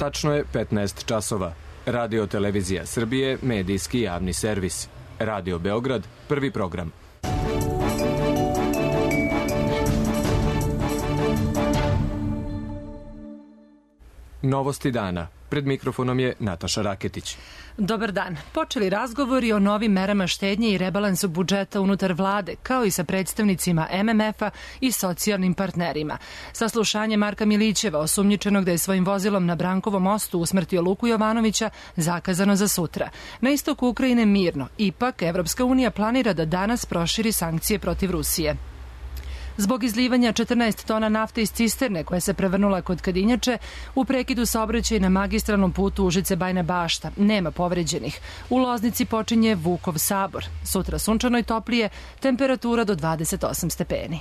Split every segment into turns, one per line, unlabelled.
Tačno je 15 časova. Radio Televizija Srbije, medijski javni servis. Radio Beograd, prvi program. Novosti dana. Pred mikrofonom je Nataša Raketić.
Dobar dan. Počeli razgovori o novim merama štednje i rebalansu budžeta unutar vlade, kao i sa predstavnicima MMF-a i socijalnim partnerima. Saslušanje Marka Milićeva, osumnjičenog da je svojim vozilom na Brankovom mostu usmrtio Luku Jovanovića, zakazano za sutra. Na istoku Ukrajine mirno. Ipak, Evropska unija planira da danas proširi sankcije protiv Rusije. Zbog izlivanja 14 tona nafte iz cisterne koja se prevrnula kod Kadinjače, u prekidu saobraćaja na magistralnom putu Užice-Bajina Bašta nema povređenih. U Loznici počinje Vukov sabor. Sutra sunčano i toplije, temperatura do 28 stepeni.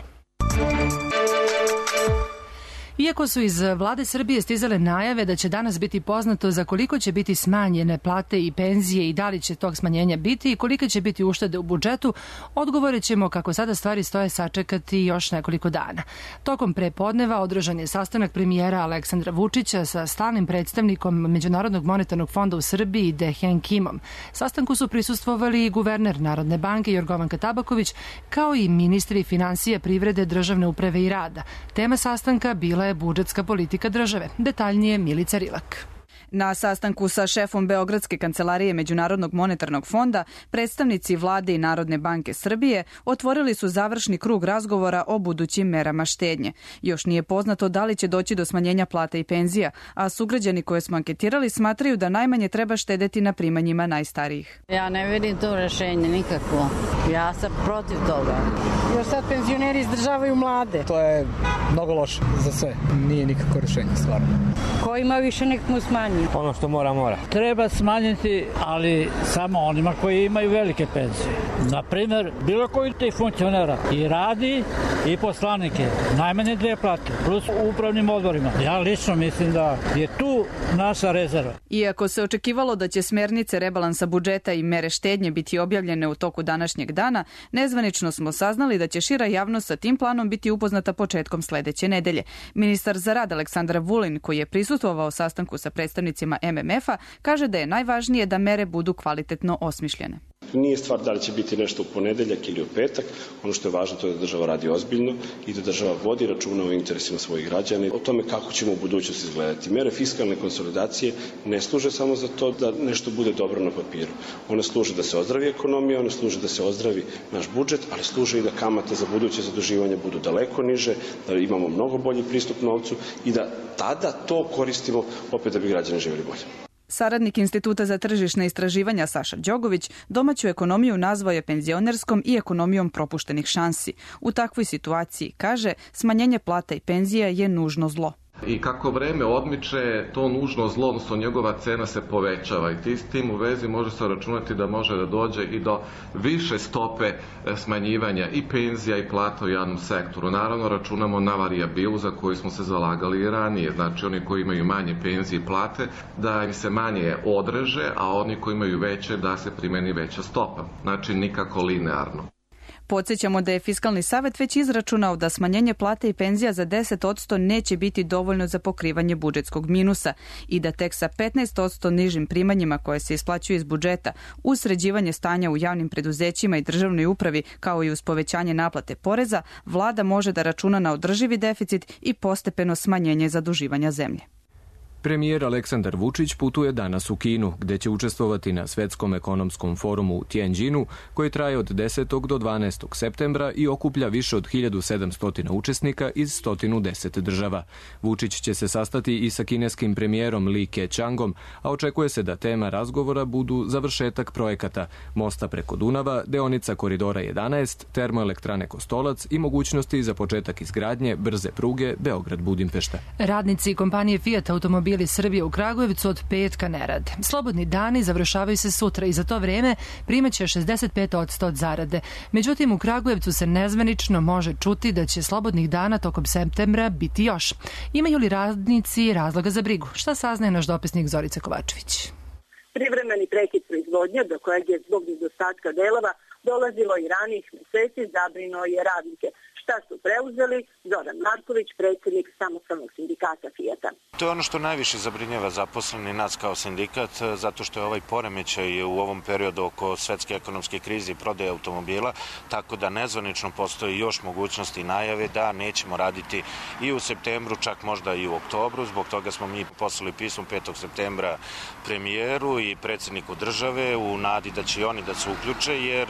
Iako su iz vlade Srbije stizale najave da će danas biti poznato za koliko će biti smanjene plate i penzije i da li će tog smanjenja biti i kolike će biti uštede u budžetu, odgovore ćemo kako sada stvari stoje sačekati još nekoliko dana. Tokom prepodneva održan je sastanak premijera Aleksandra Vučića sa stalnim predstavnikom Međunarodnog monetarnog fonda u Srbiji Dehen Kimom. Sastanku su prisustvovali i guverner Narodne banke Jorgovanka Tabaković, kao i ministri finansija, privrede, državne uprave i rada. Tema sastanka bila je budžetska politika države. Detaljnije Milica Rilak.
Na sastanku sa šefom Beogradske kancelarije Međunarodnog monetarnog fonda, predstavnici vlade i Narodne banke Srbije otvorili su završni krug razgovora o budućim merama štednje. Još nije poznato da li će doći do smanjenja plata i penzija, a sugrađani koje smo anketirali smatraju da najmanje treba štedeti na primanjima najstarijih.
Ja ne vidim to rešenje nikakvo. Ja sam protiv toga.
Još sad penzioneri izdržavaju mlade.
To je mnogo loše za sve. Nije nikako rešenje, stvarno.
Ko ima više nek mu smanji.
Ono što mora. Treba smanjiti, ali samo onima koji imaju velike penzije. Naprimer, bilo koji tih funkcionera i radi i poslanike. Najmanje 2 plate, plus u upravnim odborima. Ja lično mislim da je tu naša rezerva.
Iako se očekivalo da će smernice rebalansa budžeta i mere štednje biti objavljene u toku današnjeg dana, nezvanično smo saznali da će šira javnost sa tim planom biti upoznata početkom sledeće nedelje. Ministar za rad Aleksandar Vulin, koji je prisustvovao sastanku sa predstavnicima MMF-a, kaže da je najvažnije da mere budu kvalitetno osmišljene.
Nije stvar da li će biti nešto u ponedeljak ili u petak. Ono što je važno to je da država radi ozbiljno i da država vodi računa o interesima svojih građana, o tome kako ćemo u budućnosti izgledati. Mere fiskalne konsolidacije ne služe samo za to da nešto bude dobro na papiru. One služe da se ozdravi ekonomija, one služe da se ozdravi naš budžet, ali služe i da kamate za buduće zaduživanje budu daleko niže, da imamo mnogo bolji pristup novcu i da tada to koristimo opet da bi građani živjeli bolje.
Saradnik Instituta za tržišne istraživanja Saša Đogović domaću ekonomiju nazvao je penzionerskom i ekonomijom propuštenih šansi. U takvoj situaciji, kaže, smanjenje plata i penzija je nužno zlo.
I kako vreme odmiče, to nužno zlo, odnosno njegova cena se povećava i s tim u vezi može se računati da može da dođe i do više stope smanjivanja i penzija i plata u javnom sektoru. Naravno, računamo na varijabilu za koju smo se zalagali i ranije. Znači, oni koji imaju manje penzije i plate, da im se manje odreže, a oni koji imaju veće, da se primeni veća stopa. Znači, nikako linearno.
Podsjećamo da je Fiskalni savet već izračunao da smanjenje plate i penzija za 10% neće biti dovoljno za pokrivanje budžetskog minusa i da tek sa 15% nižim primanjima koje se isplaćuju iz budžeta uz sređivanje stanja u javnim preduzećima i državnoj upravi kao i uz povećanje naplate poreza, vlada može da računa na održivi deficit i postepeno smanjenje zaduživanja zemlje.
Premijer Aleksandar Vučić putuje danas u Kinu, gde će učestvovati na Svetskom ekonomskom forumu u Tianjinu, koji traje od 10. do 12. septembra i okuplja više od 1700 učesnika iz 110 država. Vučić će se sastati i sa kineskim premijerom Li Keqiangom, a očekuje se da tema razgovora budu završetak projekata mosta preko Dunava, deonica Koridora 11, termoelektrane Kostolac i mogućnosti za početak izgradnje brze pruge Beograd-Budimpešta.
Radnici kompanije Fiat Automobili Srbije u Kragujevcu od petka ne rade. Slobodni dani završavaju se sutra i za to vreme primaće 65% od zarade. Međutim, u Kragujevcu se nezvanično može čuti da će slobodnih dana tokom septembra biti još. Imaju li radnici razloga za brigu? Šta saznaje naš dopisnik Zorica Kovačević?
Privremeni prekid proizvodnje, do kojeg je zbog nedostatka delova dolazilo i ranih meseci, zabrinuo je radnike. Šta su preuzeli? Zoran Marković, predsjednik samostalnog sindikata Fijata.
To je ono što najviše zabrinjava zaposleni nas kao sindikat, zato što je ovaj poremećaj u ovom periodu oko svetske ekonomske krize i prodaje automobila, tako da nezvanično postoji još mogućnosti i najave da nećemo raditi i u septembru, čak možda i u oktobru. Zbog toga smo mi poslali pismo 5. septembra premijeru i predsjedniku države u nadi da će oni da se uključe, jer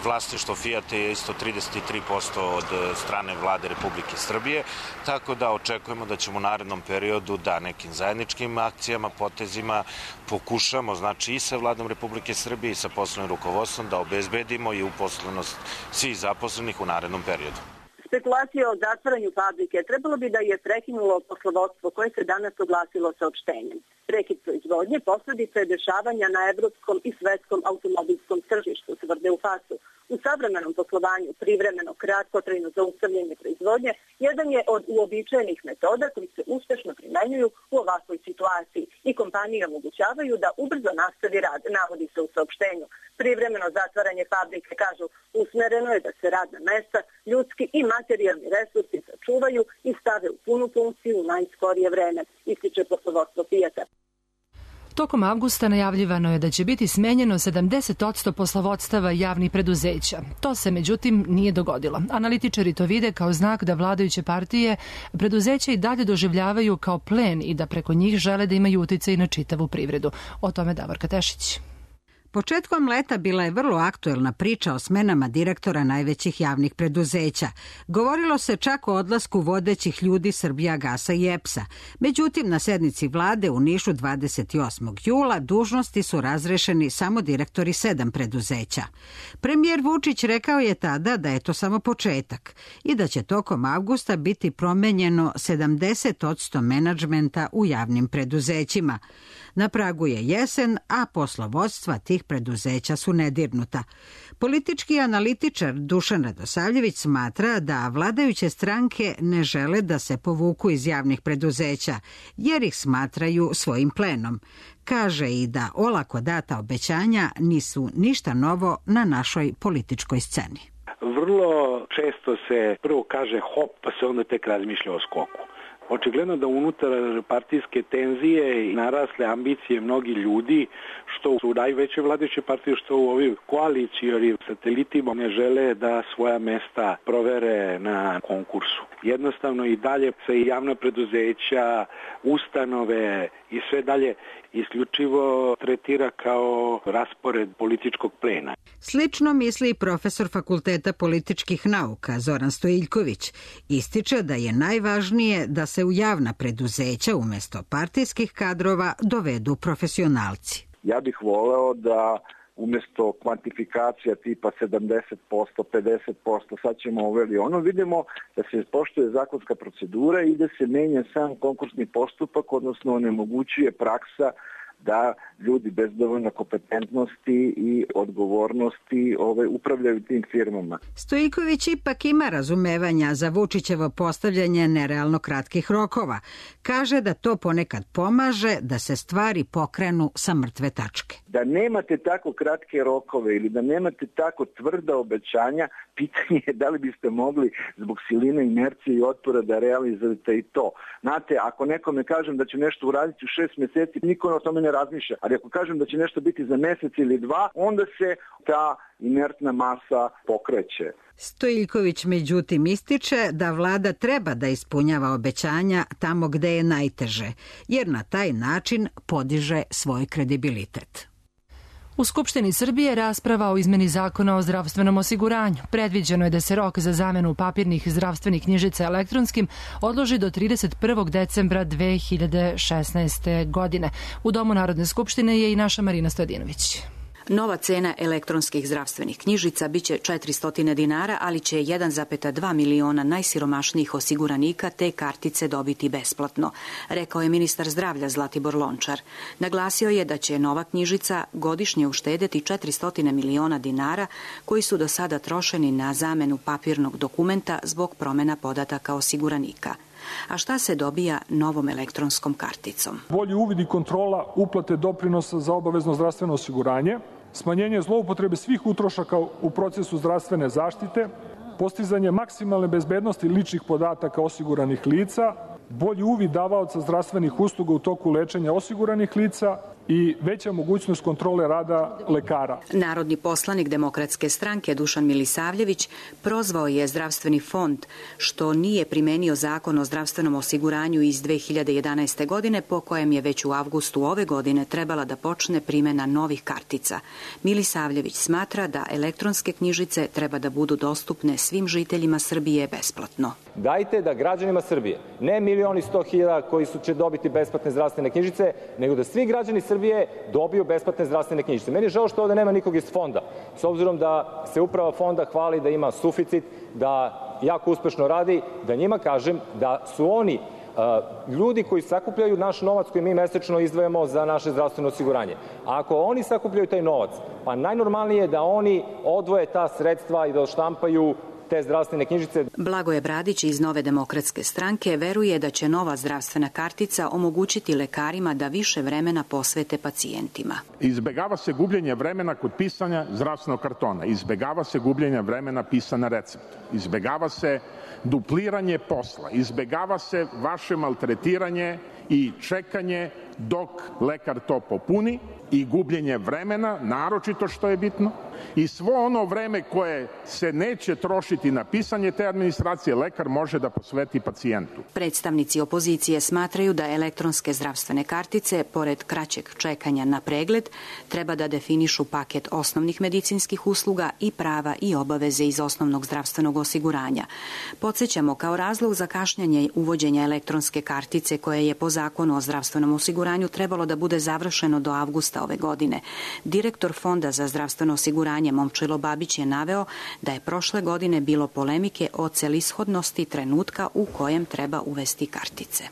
vlasništvo Fijata je isto 33% od strane vlade Republike Srbije, tako da očekujemo da ćemo u narednom periodu da nekim zajedničkim akcijama, potezima pokušamo, znači i sa vladom Republike Srbije i sa poslovnim rukovodstvom da obezbedimo i uposlenost svih zaposlenih u narednom periodu.
Spekulacija o zatvaranju fabrike trebalo bi da je prekinulo poslovodstvo koje se danas oglasilo saopštenjem. Prekid proizvodnje posledica je dešavanja na evropskom i svetskom automobilskom tržištu, tvrde u FAS-u. U savremenom poslovanju privremeno kratkotrajno zaustavljanje proizvodnje jedan je od uobičajenih metoda koji se uspešno primenjuju u ovakvoj situaciji i kompanije omogućavaju da ubrzo nastavi rad, navodi se u saopštenju. Privremeno zatvaranje fabrike, kažu, usmereno je da se radna mesta, ljudski i materijalni resursi sačuvaju i stave u punu funkciju u najskorije vreme, ističe poslovodstvo Fijata.
Tokom avgusta najavljivano je da će biti smenjeno 70% poslovodstava javnih preduzeća. To se, međutim, nije dogodilo. Analitičari to vide kao znak da vladajuće partije preduzeća i dalje doživljavaju kao plen i da preko njih žele da imaju uticaj na čitavu privredu. O tome Davorka Tešić.
Početkom leta bila je vrlo aktuelna priča o smenama direktora najvećih javnih preduzeća. Govorilo se čak o odlasku vodećih ljudi Srbijagasa i EPS-a. Međutim, na sednici vlade u Nišu 28. jula dužnosti su razrešeni samo direktori 7 preduzeća. Premijer Vučić rekao je tada da je to samo početak i da će tokom avgusta biti promenjeno 70% menadžmenta u javnim preduzećima. Na pragu je jesen, a poslovodstva tih preduzeća su nedirnuta. Politički analitičar Dušan Radosavljević smatra da vladajuće stranke ne žele da se povuku iz javnih preduzeća, jer ih smatraju svojim plenom. Kaže i da olako data obećanja nisu ništa novo na našoj političkoj sceni.
Vrlo često se prvo kaže hop, pa se onda tek razmišlja o skoku. Očigledno da unutar partijske tenzije i narasle ambicije mnogi ljudi, što u najveće vladajuće partije, što u ovim koalicijonim satelitima, ne žele da svoja mesta provere na konkursu. Jednostavno i dalje se i javna preduzeća, ustanove i sve dalje isključivo tretira kao raspored političkog plena.
Slično misli i profesor Fakulteta političkih nauka Zoran Stojiljković. Ističe da je najvažnije da se u javna preduzeća umjesto partijskih kadrova dovedu profesionalci.
Ja bih voleo da umjesto kvantifikacija tipa 70%, 50%, sad ćemo uveli ono, vidimo da se poštuje zakonska procedura i da se menja sam konkursni postupak, odnosno onemogućuje praksa da ljudi bez dovoljno kompetentnosti i odgovornosti upravljaju tim firmama.
Stojiljković ipak ima razumevanja za Vučićevo postavljanje nerealno kratkih rokova. Kaže da to ponekad pomaže da se stvari pokrenu sa mrtve tačke.
Da nemate tako kratke rokove ili da nemate tako tvrda obećanja, pitanje je da li biste mogli zbog siline, inercije i otpora da realizujete i to. Znate, ako nekome kažem da će nešto uraditi u 6 mjeseci, niko o tome ne razmišlja. Ali ako kažem da će nešto biti za mjesec ili 2, onda se ta inertna masa pokreće.
Stojiljković međutim ističe da vlada treba da ispunjava obećanja tamo gde je najteže, jer na taj način podiže svoj kredibilitet.
U Skupštini Srbije rasprava o izmeni zakona o zdravstvenom osiguranju. Predviđeno je da se rok za zamenu papirnih zdravstvenih knjižica elektronskim odloži do 31. decembra 2016. godine. U Domu Narodne skupštine je i naša Marina Stojadinović.
Nova cena elektronskih zdravstvenih knjižica biće 400 dinara, ali će 1,2 miliona najsiromašnijih osiguranika te kartice dobiti besplatno, rekao je ministar zdravlja Zlatibor Lončar. Naglasio je da će nova knjižica godišnje uštedeti 400 miliona dinara koji su do sada trošeni na zamenu papirnog dokumenta zbog promjena podataka osiguranika. A šta se dobija novom elektronskom karticom?
Bolji uvid i kontrola uplate doprinosa za obavezno zdravstveno osiguranje, smanjenje zloupotrebe svih utrošaka u procesu zdravstvene zaštite, postizanje maksimalne bezbednosti ličnih podataka osiguranih lica, bolji uvid davaoca zdravstvenih usluga u toku lečenja osiguranih lica i veća mogućnost kontrole rada lekara.
Narodni poslanik Demokratske stranke Dušan Milisavljević prozvao je zdravstveni fond što nije primenio zakon o zdravstvenom osiguranju iz 2011. godine po kojem je već u avgustu ove godine trebala da počne primena novih kartica. Milisavljević smatra da elektronske knjižice treba da budu dostupne svim žiteljima Srbije besplatno.
Dajte da građanima Srbije, ne 1.100.000 koji će dobiti besplatne zdravstvene knjižice, nego da svi građani Srbije dobiju besplatne zdravstvene knjižice. Meni je žao što ovde nema nikog iz fonda, s obzirom da se uprava fonda hvali da ima suficit, da jako uspešno radi, da njima kažem da su oni ljudi koji sakupljaju naš novac koji mi mesečno izdvajamo za naše zdravstveno osiguranje. A ako oni sakupljaju taj novac, pa najnormalnije je da oni odvoje ta sredstva i da odštampaju te zdravstvene knjižice.
Blagoje Bradić iz Nove demokratske stranke veruje da će nova zdravstvena kartica omogućiti lekarima da više vremena posvete pacijentima.
Izbegava se gubljenje vremena kod pisanja zdravstvenog kartona, izbegava se gubljenje vremena pisanja recepta, izbegava se dupliranje posla, izbegava se vaše maltretiranje i čekanje dok lekar to popuni i gubljenje vremena, naročito što je bitno, i svo ono vreme koje se neće trošiti na pisanje te administracije, lekar može da posveti pacijentu.
Predstavnici opozicije smatraju da elektronske zdravstvene kartice, pored kraćeg čekanja na pregled, treba da definišu paket osnovnih medicinskih usluga i prava i obaveze iz osnovnog zdravstvenog osiguranja. Podsećamo, kao razlog za kašnjenje uvođenja elektronske kartice, koje je po zakonu o zdravstvenom osiguranju trebalo da bude završeno do avgusta ove godine, direktor Fonda za zdravstveno osiguranje Momčilo Babić je naveo da je prošle godine bilo polemike o celishodnosti trenutka u kojem treba uvesti kartice.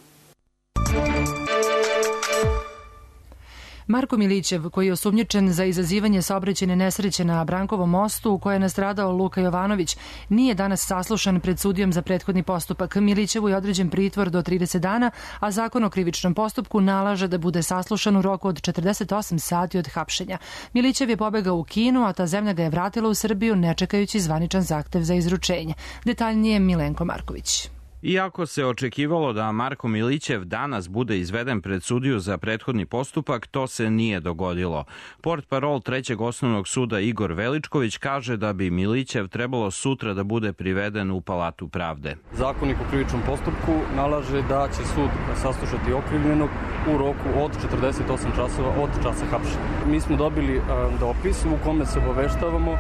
Marko Milićev, koji je osumnjičen za izazivanje saobraćajne nesreće na Brankovom mostu u kojoj je nastradao Luka Jovanović, nije danas saslušan pred sudijom za prethodni postupak. Milićevu je određen pritvor do 30 dana, a zakon o krivičnom postupku nalaže da bude saslušan u roku od 48 sati od hapšenja. Milićev je pobegao u Kinu, a ta zemlja ga je vratila u Srbiju ne čekajući zvaničan zahtev za izručenje. Detaljnije Milenko Marković.
Iako se očekivalo da Marko Milićev danas bude izveden pred sudiju za prethodni postupak, to se nije dogodilo. Portparol Trećeg osnovnog suda Igor Veličković kaže da bi Milićev trebalo sutra da bude priveden u Palatu pravde.
Zakonik o krivičnom postupku nalaže da će sud saslušati okrivljenog u roku od 48 časova od časa hapšenja. Mi smo dobili dopis u kome se obaveštavamo,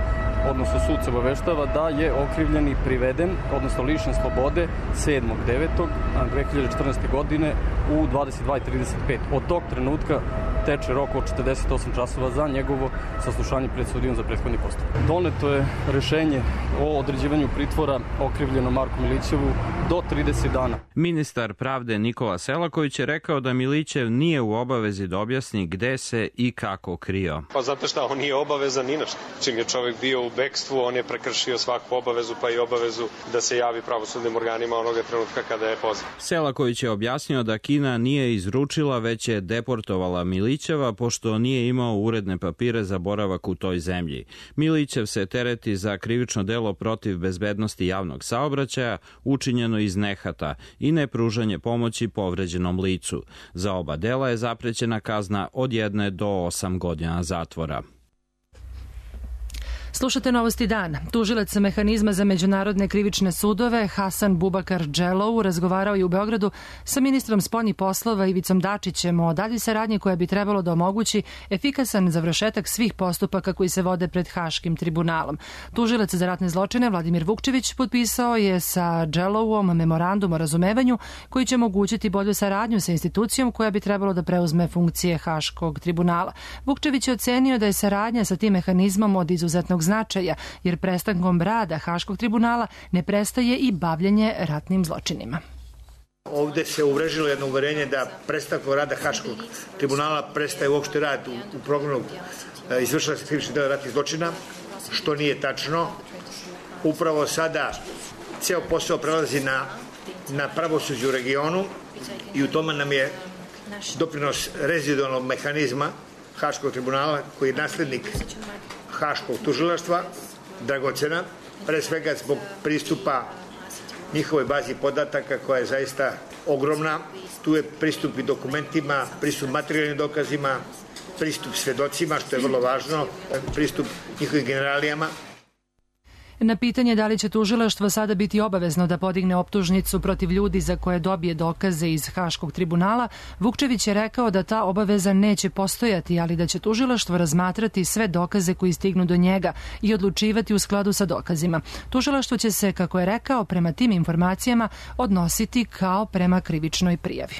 odnosno sud se obaveštava da je okrivljeni priveden, odnosno lišen slobode 7.9.2014. godine u 22:35. Od tog trenutka teče rok od 48 časova za njegovo saslušanje pred sudijom za prethodni postupak. Doneto je rešenje o određivanju pritvora okrivljenom Marku Milićevu do 30 dana.
Ministar pravde Nikola Selaković je rekao da Milićev nije u obavezi da objasni gde se i kako krio.
Pa zato što on nije obavezan ni na što. Čim je čovjek bio u bekstvu, on je prekršio svaku obavezu, pa i obavezu da se javi pravosudnim organima onoga trenutka kada je pozvan.
Selaković je objasnio da Kina nije izručila, već je deportovala Milićeva, pošto nije imao uredne papire za boravak u toj zemlji. Milićev se tereti za krivično delo protiv bezbednosti javnog saobraćaja, učinjeno iz nehata i nepružanje pomoći povređenom licu. Za oba dela je zaprećena kazna od 1 do 8 godina zatvora.
Slušate Novosti dana. Tužilac mehanizma za međunarodne krivične sudove Hasan Bubakar Dželou razgovarao je u Beogradu sa ministrom spoljnih poslova Ivicom Dačićem o daljoj saradnji koja bi trebalo da omogući efikasan završetak svih postupaka koji se vode pred Haškim tribunalom. Tužilac za ratne zločine Vladimir Vukčević potpisao je sa Dželouom memorandum o razumevanju koji će omogućiti bolju saradnju sa institucijom koja bi trebalo da preuzme funkcije Haškog tribunala. Vukčević je ocenio da je saradnja sa tim mehanizmom od izuzetnog značaja, jer prestankom rada Haškog tribunala ne prestaje i bavljenje ratnim zločinima.
Ovde se uvrežilo jedno uverenje da prestankom rada Haškog tribunala prestaje uopšte rad u programu izvršila se krivičnih dela ratnih zločina, što nije tačno. Upravo sada ceo posao prelazi na pravosuđe u regionu i u tome nam je doprinos rezidualnog mehanizma Haškog tribunala, koji je naslednik Haškog tužilaštva, dragocena, pre svega zbog pristupa njihovoj bazi podataka koja je zaista ogromna. Tu je pristup i dokumentima, pristup materijalnim dokazima, pristup svedocima, što je vrlo važno, pristup njihovim generalijama.
Na pitanje da li će tužilaštvo sada biti obavezno da podigne optužnicu protiv ljudi za koje dobije dokaze iz Haškog tribunala, Vukčević je rekao da ta obaveza neće postojati, ali da će tužilaštvo razmatrati sve dokaze koji stignu do njega i odlučivati u skladu sa dokazima. Tužilaštvo će se, kako je rekao, prema tim informacijama odnositi kao prema krivičnoj prijavi.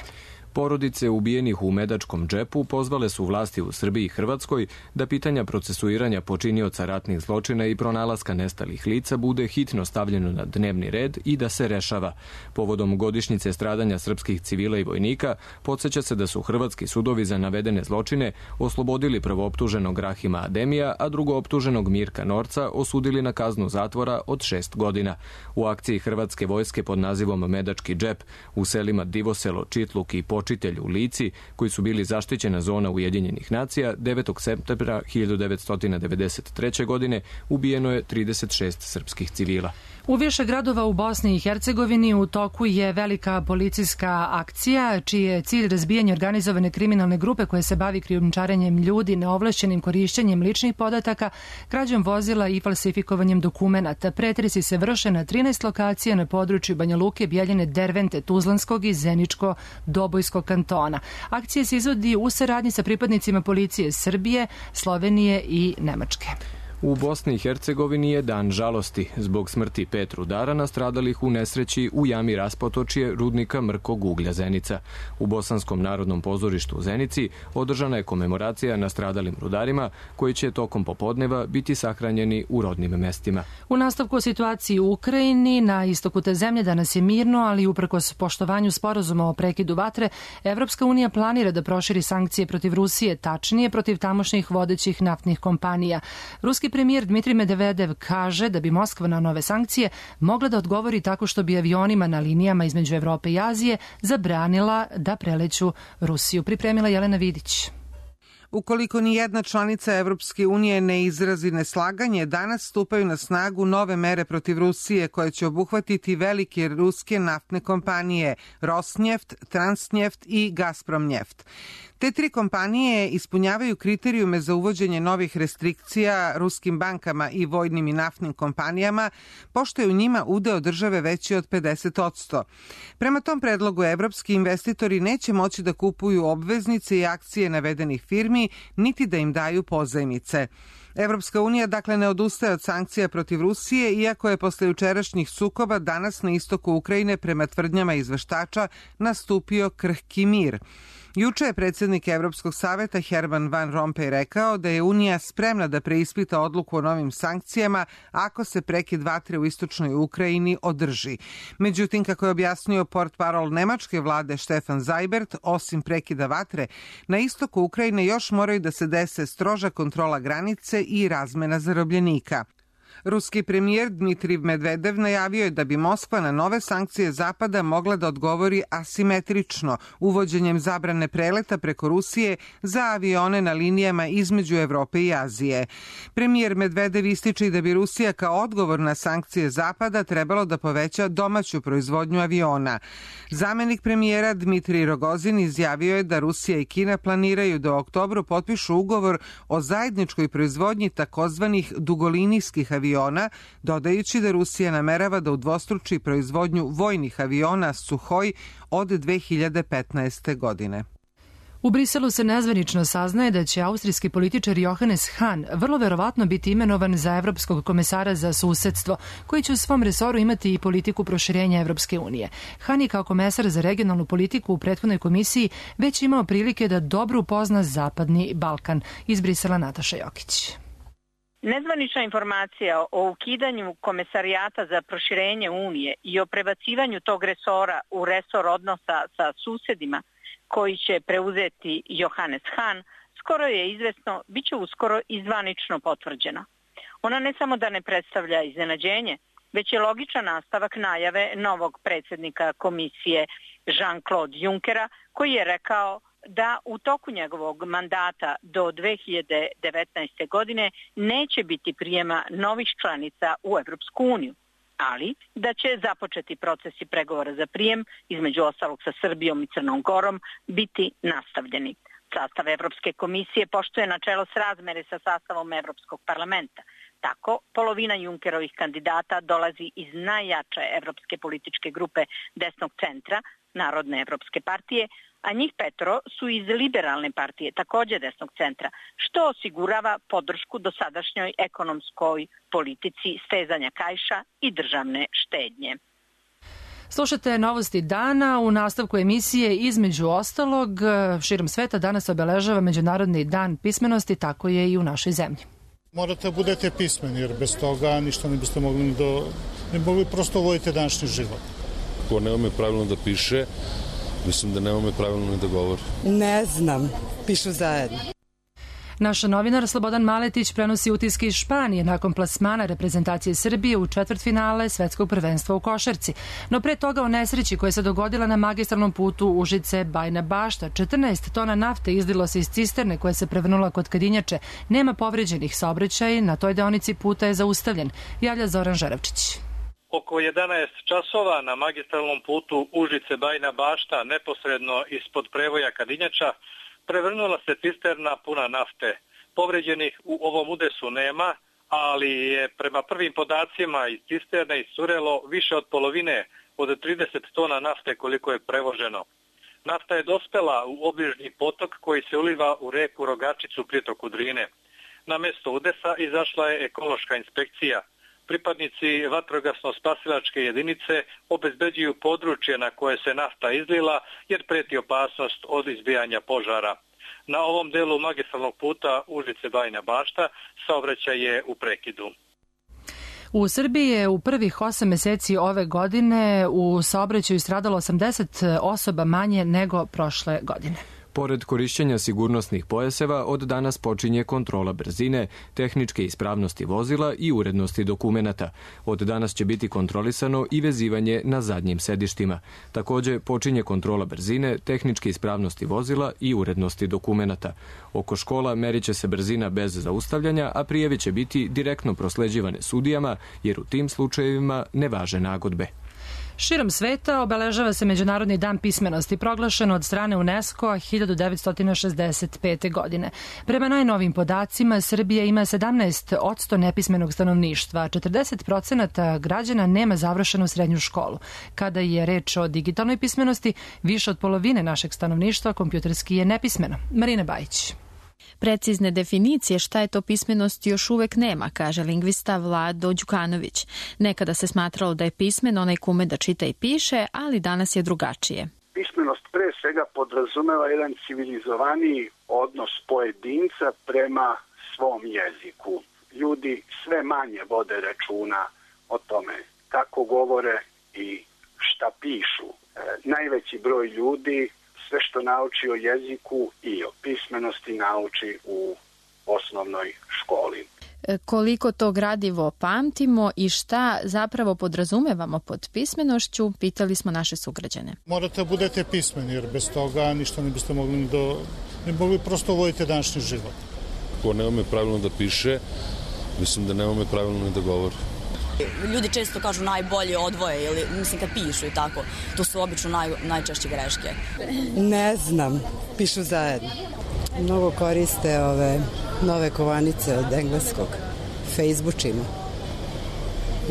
Porodice ubijenih u Medačkom džepu pozvale su vlasti u Srbiji i Hrvatskoj da pitanja procesuiranja počinioca ratnih zločina i pronalaska nestalih lica bude hitno stavljeno na dnevni red i da se rešava. Povodom godišnjice stradanja srpskih civila i vojnika, podsjeća se da su hrvatski sudovi za navedene zločine oslobodili prvooptuženog Rahima Ademija, a drugooptuženog Mirka Norca osudili na kaznu zatvora od 6 godina. U akciji hrvatske vojske pod nazivom Medački džep u selima Divoselo, Čitluk i Počitelj u Lici, koji su bili zaštićena zona Ujedinjenih nacija, 9. septembra 1993. godine ubijeno je 36 srpskih civila.
U više gradova u Bosni i Hercegovini u toku je velika policijska akcija, čiji je cilj razbijanje organizovane kriminalne grupe koje se bavi krijumčarenjem ljudi, neovlašćenim korišćenjem ličnih podataka, krađom vozila i falsifikovanjem dokumenata. Pretresi se vrše na 13 lokacija na području Banja Luke, Bjeljine, Dervente, Tuzlanskog i Zeničko-Dobojskog kantona. Akcija se izvodi u saradnji sa pripadnicima policije Srbije, Slovenije i Nemačke.
U Bosni i Hercegovini je dan žalosti zbog smrti 5 rudara nastradalih u nesreći u jami raspotočje rudnika Mrkog uglja Zenica. U Bosanskom narodnom pozorištu u Zenici održana je komemoracija nastradalim rudarima koji će tokom popodneva biti sahranjeni u rodnim mestima.
U nastavku o situaciji u Ukrajini, na istoku te zemlje danas je mirno, ali uprkos poštovanju sporazuma o prekidu vatre, Evropska unija planira da proširi sankcije protiv Rusije, tačnije protiv tamošnjih vodećih naftnih kompanija. Ruski premijer Dmitrij Medvedev kaže da bi Moskva na nove sankcije mogla da odgovori tako što bi avionima na linijama između Evrope i Azije zabranila da preleću Rusiju. Pripremila Jelena Vidić.
Ukoliko ni jedna članica Evropske unije ne izrazi neslaganje, danas stupaju na snagu nove mere protiv Rusije koje će obuhvatiti velike ruske naftne kompanije Rosneft, Transneft i Gazpromneft. Te 3 kompanije ispunjavaju kriterijume za uvođenje novih restrikcija ruskim bankama i vojnim i naftnim kompanijama, pošto je u njima udeo države veći od 50%. Prema tom predlogu, evropski investitori neće moći da kupuju obveznice i akcije navedenih firmi, niti da im daju pozajmice. Evropska unija dakle ne odustaje od sankcija protiv Rusije, iako je posle jučerašnjih sukoba danas na istoku Ukrajine prema tvrdnjama izveštača nastupio krhki mir. Juče je predsjednik Evropskog saveta Herman Van Rompuy rekao da je Unija spremna da preispita odluku o novim sankcijama ako se prekid vatre u istočnoj Ukrajini održi. Međutim, kako je objasnio portparol nemačke vlade Stefan Seibert, osim prekida vatre, na istoku Ukrajine još moraju da se dese stroža kontrola granice i razmena zarobljenika. Ruski premijer Dmitrij Medvedev najavio je da bi Moskva na nove sankcije Zapada mogla da odgovori asimetrično, uvođenjem zabrane preleta preko Rusije za avione na linijama između Evrope i Azije. Premijer Medvedev ističe i da bi Rusija kao odgovor na sankcije Zapada trebalo da poveća domaću proizvodnju aviona. Zamenik premijera Dmitrij Rogozin izjavio je da Rusija i Kina planiraju da u oktobru potpišu ugovor o zajedničkoj proizvodnji takozvanih dugolinijskih aviona, dodajući da Rusija namerava da udvostruči proizvodnju vojnih aviona Suhoj od 2015. godine.
U Briselu se nezvanično saznaje da će austrijski političar Johannes Hahn vrlo verovatno biti imenovan za evropskog komesara za susedstvo, koji će u svom resoru imati i politiku proširenja Evropske unije. Hahn je kao komesar za regionalnu politiku u prethodnoj komisiji već imao prilike da dobro upozna Zapadni Balkan. Iz Brisela Nataša Jokić.
Nezvanična informacija o ukidanju komesarijata za proširenje Unije i o prebacivanju tog resora u resor odnosa sa susedima koji će preuzeti Johannes Hahn, skoro je izvesno, bit će uskoro i zvanično potvrđeno. Ona ne samo da ne predstavlja iznenađenje, već je logičan nastavak najave novog predsjednika komisije Jean-Claude Junckera, koji je rekao da u toku njegovog mandata do 2019. godine neće biti prijema novih članica u Evropsku uniju, ali da će započeti procesi pregovora za prijem, između ostalog sa Srbijom i Crnom Gorom, biti nastavljeni. Sastav Evropske komisije poštuje načelo srazmere sa sastavom Evropskog parlamenta. Tako, polovina Junckerovih kandidata dolazi iz najjače evropske političke grupe desnog centra, Narodne evropske partije, a njih 5 su iz liberalne partije, takođe desnog centra, što osigurava podršku dosadašnjoj ekonomskoj politici stezanja kaiša i državne štednje.
Slušate Novosti dana. U nastavku emisije između ostalog širom sveta danas obeležava Međunarodni dan pismenosti, tako je i u našoj zemlji.
Morate da budete pismeni jer bez toga ništa ne biste mogli ne mogli prosto voditi današnji život.
Ko ne ume pravilno da piše, mislim da ne ume pravilno ni da govori.
Ne znam, pišu zajedno.
Naš novinar Slobodan Maletić prenosi utiske iz Španije nakon plasmana reprezentacije Srbije u četvrtfinale svetskog prvenstva u košarci. No pre toga o nesreći koja se dogodila na magistralnom putu Užice-Bajina Bašta. 14 tona nafte izlilo se iz cisterne koja se prevrnula kod Kadinjače. Nema povređenih, saobraćaj na toj deonici puta je zaustavljen, javlja Zoran Žarevčić.
Oko 11 časova na magistralnom putu Užice-Bajina Bašta, neposredno ispod prevoja Kadinjača, prevrnula se cisterna puna nafte. Povređenih u ovom udesu nema, ali je prema prvim podacima iz cisterne iscurelo više od polovine od 30 tona nafte koliko je prevoženo. Nafta je dospela u obližnji potok koji se uliva u reku Rogačicu pritoku Drine. Na mesto udesa izašla je ekološka inspekcija. Pripadnici vatrogasno-spasilačke jedinice obezbeđuju područje na koje se nafta izlila jer preti opasnost od izbijanja požara. Na ovom delu magistralnog puta Užice-Bajina Bašta saobraćaj je u prekidu.
U Srbiji je u prvih 8 meseci ove godine u saobraćaju stradalo 80 osoba manje nego prošle godine.
Pored korišćenja sigurnosnih pojaseva, od danas počinje kontrola brzine, tehničke ispravnosti vozila i urednosti dokumenata. Od danas će biti kontrolisano i vezivanje na zadnjim sedištima. Takođe, počinje kontrola brzine, tehničke ispravnosti vozila i urednosti dokumenata. Oko škola merit će se brzina bez zaustavljanja, a prijave će biti direktno prosleđivane sudijama, jer u tim slučajevima ne važe nagodbe.
Širom sveta obeležava se Međunarodni dan pismenosti, proglašen od strane UNESCO-a 1965. godine. Prema najnovim podacima, Srbija ima 17% nepismenog stanovništva, a 40% građana nema završenu srednju školu. Kada je reč o digitalnoj pismenosti, više od polovine našeg stanovništva kompjuterski je nepismeno. Marina Bajić.
Precizne definicije šta je to pismenost još uvek nema, kaže lingvista Vlado Đukanović. Nekada se smatralo da je pismen onaj ko ume da čita i piše, ali danas je drugačije.
Pismenost pre svega podrazumeva jedan civilizovaniji odnos pojedinca prema svom jeziku. Ljudi sve manje vode računa o tome kako govore i šta pišu. Najveći broj ljudi sve što nauči o jeziku i o pismenosti nauči u osnovnoj školi.
Koliko to gradivo pamtimo i šta zapravo podrazumevamo pod pismenošću, pitali smo naše sugrađane.
Morate da budete pismeni jer bez toga ništa ne biste mogli ne mogli prosto voditi današnji život.
Ko ne ume pravilno da piše, mislim da ne ume pravilno ni da govori.
Ljudi često kažu najbolje odvoje ili mislim kad pišu i tako. To su obično najčešće greške.
Ne znam, pišu zajedno. Mnogo koriste ove nove kovanice od engleskog. Facebookimo.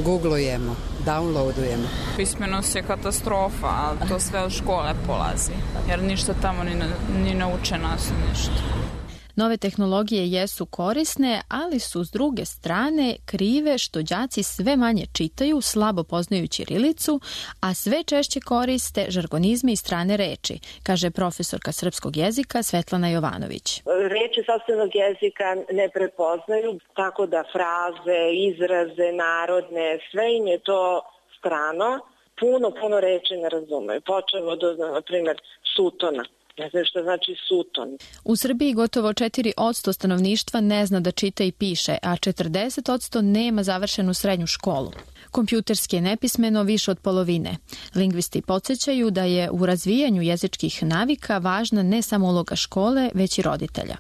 Googlujemo, downloadujemo.
Pismenost je katastrofa, ali to sve od škole polazi. Jer ništa tamo ni nauče nas ništa.
Nove tehnologije jesu korisne, ali su s druge strane krive što đaci sve manje čitaju, slabo poznaju ćirilicu, a sve češće koriste žargonizme i strane reči, kaže profesorka srpskog jezika Svetlana Jovanović.
Reči sopstvenog jezika ne prepoznaju, tako da fraze, izraze, narodne, sve im je to strano. Puno reči ne razumeju. Počevo od, na primjer, sutona.
Ne znam što znači Sutton.
U Srbiji gotovo 4% stanovništva ne zna da čita i piše, a 40% nema završenu srednju školu. Kompjuterski je nepismeno više od polovine. Lingvisti podsjećaju da je u razvijanju jezičkih navika važna ne samo uloga škole, već i roditelja.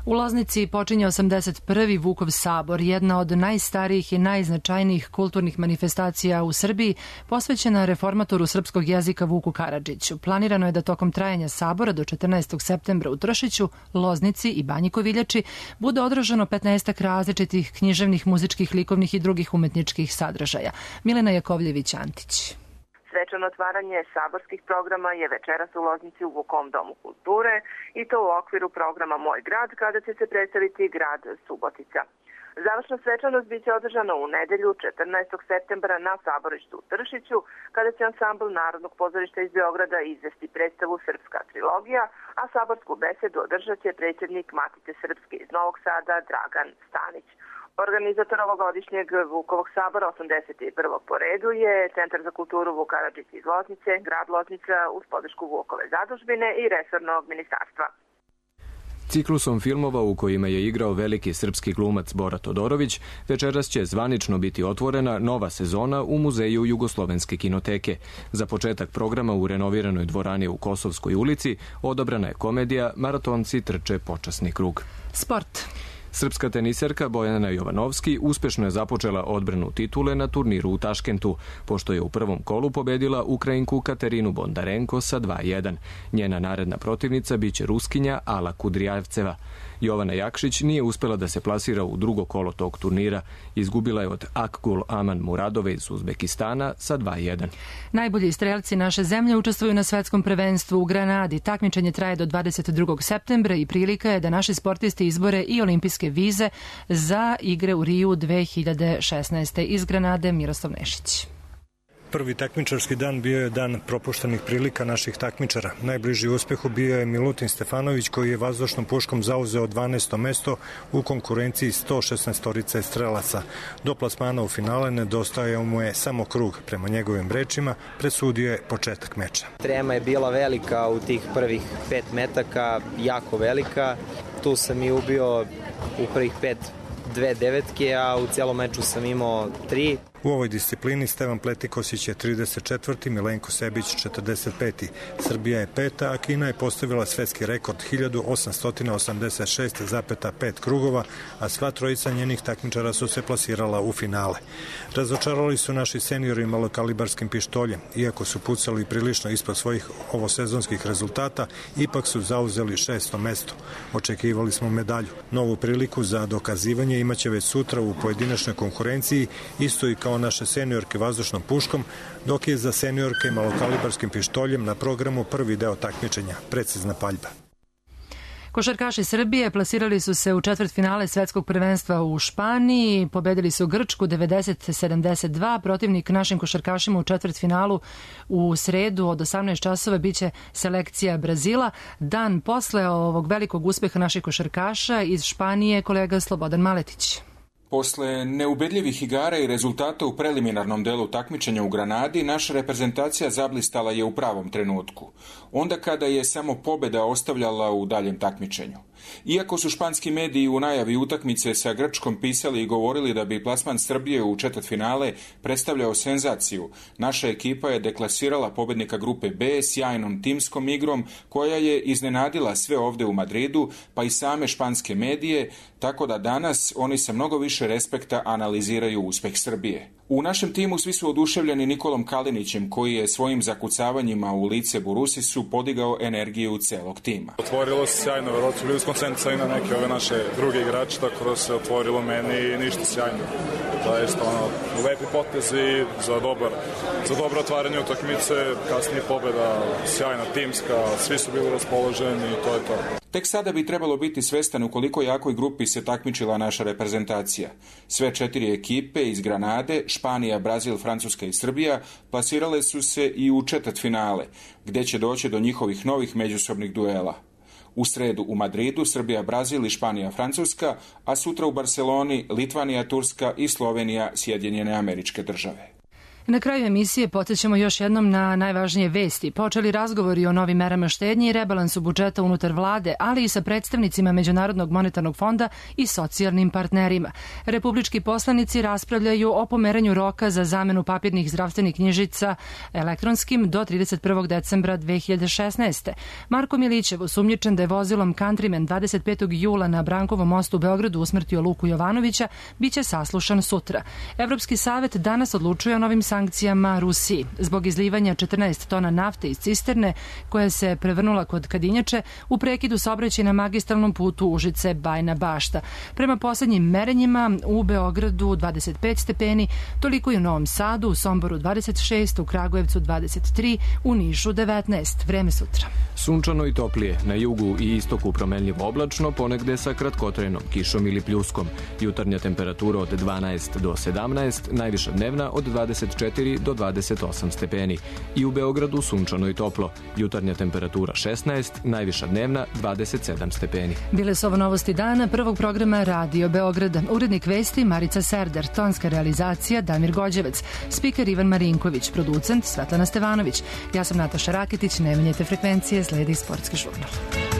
U Loznici počinje 81. Vukov sabor, jedna od najstarijih i najznačajnijih kulturnih manifestacija u Srbiji, posvećena reformatoru srpskog jezika Vuku Karadžiću. Planirano je da tokom trajanja sabora do 14. septembra u Tršiću, Loznici i Banji Koviljači bude održano 15 različitih književnih, muzičkih, likovnih i drugih umetničkih sadržaja. Milena Jakovljević-Antić.
Svečano otvaranje saborskih programa je večeras u Loznici u Vukovom domu kulture i to u okviru programa Moj grad, kada će se predstaviti grad Subotica. Završna svečanost biće održana u nedelju 14. septembra na saborištu u Tršiću, kada će ansambl Narodnog pozorišta iz Beograda izvesti predstavu Srpska trilogija, a saborsku besedu održat će predsjednik Matice Srpske iz Novog Sada Dragan Stanić. Organizator ovogodišnjeg Vukovog sabora 81. po redu je Centar za kulturu Vuk Karadžić iz Loznice, grad Loznica uz podršku Vukove zadužbine i resornog ministarstva.
Ciklusom filmova u kojima je igrao veliki srpski glumac Bora Todorović, večeras će zvanično biti otvorena nova sezona u Muzeju Jugoslovenske kinoteke. Za početak programa u renoviranoj dvorani u Kosovskoj ulici odabrana je komedija Maratonci trče počasni krug.
Sport.
Srpska teniserka Bojana Jovanovski uspešno je započela odbranu titule na turniru u Taškentu, pošto je u prvom kolu pobedila Ukrajinku Katerinu Bondarenko sa 2:1. Njena naredna protivnica biće Ruskinja Ala Kudrijavceva. Jovana Jakšić nije uspela da se plasira u drugo kolo tog turnira. Izgubila je od Akgul Aman Muradove iz Uzbekistana sa 2:1.
Najbolji strelci naše zemlje učestvuju na svetskom prvenstvu u Granadi. Takmičenje traje do 22. septembra i prilika je da naši sportisti izbore i olimpijske vize za igre u Riju 2016. Iz Granade Miroslav Nešić.
Prvi takmičarski dan bio je dan propuštenih prilika naših takmičara. Najbliži uspehu bio je Milutin Stefanović koji je vazdušnom puškom zauzeo 12. mesto u konkurenciji 116 strelaca. Do plasmana u finale nedostajao mu je samo krug. Prema njegovim rečima presudio je početak meča.
Trema je bila velika u tih prvih 5 metaka, jako velika. Tu sam i ubio u prvih 5 2 devetke, a u cijelom meču sam imao 3.
U ovoj disciplini Stevan Pletikosić je 34. Milenko Sebić 45. Srbija je 5. a Kina je postavila svetski rekord 1886,5 krugova, a sva trojica njenih takmičara su se plasirala u finale. Razočarali su naši seniori malokalibarskim pištoljem. Iako su pucali prilično ispod svojih ovosezonskih rezultata, ipak su zauzeli 6. mesto. Očekivali smo medalju. Novu priliku za dokazivanje imaće već sutra u pojedinačnoj konkurenciji, isto i kao naše seniorke vazdušnom puškom, dok je za seniorke malokalibarskim pištoljem na programu prvi deo takmičenja, precizna paljba.
Košarkaši Srbije plasirali su se u četvrtfinale svetskog prvenstva u Španiji, pobedili su Grčku 90-72, protivnik našim košarkašima u četvrtfinalu u sredu od 18 časova biće selekcija Brazila. Dan posle ovog velikog uspeha naših košarkaša iz Španije kolega Slobodan Maletić.
Posle neubedljivih igara i rezultata u preliminarnom delu takmičenja u Granadi, naša reprezentacija zablistala je u pravom trenutku, onda kada je samo pobeda ostavljala u daljem takmičenju. Iako su španski mediji u najavi utakmice sa Grčkom pisali i govorili da bi plasman Srbije u četvrtfinale predstavljao senzaciju, naša ekipa je deklasirala pobednika grupe B sjajnom timskom igrom koja je iznenadila sve ovde u Madridu, pa i same španske medije, tako da danas oni sa mnogo više respekta analiziraju uspeh Srbije. U našem timu svi su oduševljeni Nikolom Kalinićem, koji je svojim zakucavanjima u lice Burusisu podigao energiju celog tima.
Otvorilo se sjajno, verovatno su bili skoncentrisani na neke ove naše druge igrače, tako da se otvorilo meni i ništa sjajno. Zaista lepi potezi za dobro otvaranje utakmice, kasnije pobeda, sjajna timska, svi su bili raspoloženi i to je to.
Tek sada bi trebalo biti svestan u koliko jakoj grupi se takmičila naša reprezentacija. Sve 4 ekipe iz Granade, Španija, Brazil, Francuska i Srbija plasirale su se i u četvrtfinale, gde će doći do njihovih novih međusobnih duela. U sredu u Madridu Srbija, Brazil i Španija, Francuska, a sutra u Barceloni Litvanija, Turska i Slovenija, Sjedinjene Američke Države.
Na kraju emisije podsjećamo još jednom na najvažnije vesti. Počeli razgovori o novim merama štednje i rebalansu budžeta unutar vlade, ali i sa predstavnicima Međunarodnog monetarnog fonda i socijalnim partnerima. Republički poslanici raspravljaju o pomeranju roka za zamenu papirnih zdravstvenih knjižica elektronskim do 31. decembra 2016. Marko Milićev, osumnjičen da je vozilom Countryman 25. jula na Brankovom mostu u Beogradu usmrtio Luku Jovanovića, biće saslušan sutra. Evropski savet danas odlučuje o novim sankcijama Rusiji zbog izlivanja 14 tona nafte iz cisterne koja se prevrnula kod Kadinjače u prekidu saobraćaja na magistralnom putu Užice-Bajina Bašta. Prema poslednjim merenjima u Beogradu 25 stepeni, toliko i u Novom Sadu, u Somboru 26, u Kragujevcu 23, u Nišu 19. Vreme sutra.
Sunčano i toplije, na jugu i istoku promenljivo oblačno, ponegde sa kratkotrenom kišom ili pljuskom. Jutarnja temperatura od 12 do 17, najviša dnevna od 24 do 28 stepeni. I u Beogradu sunčano i toplo. Jutarnja temperatura 16, najviša dnevna 27 stepeni.
Bile su ovo novosti dana prvog programa Radio Beograda. Urednik vesti Marica Serder, tonska realizacija Damir Gođevec, spiker Ivan Marinković, producent Svetlana Stevanović. Ja sam Nataša Raketić, ne menjajte frekvencije, sledi Sportski žurnal.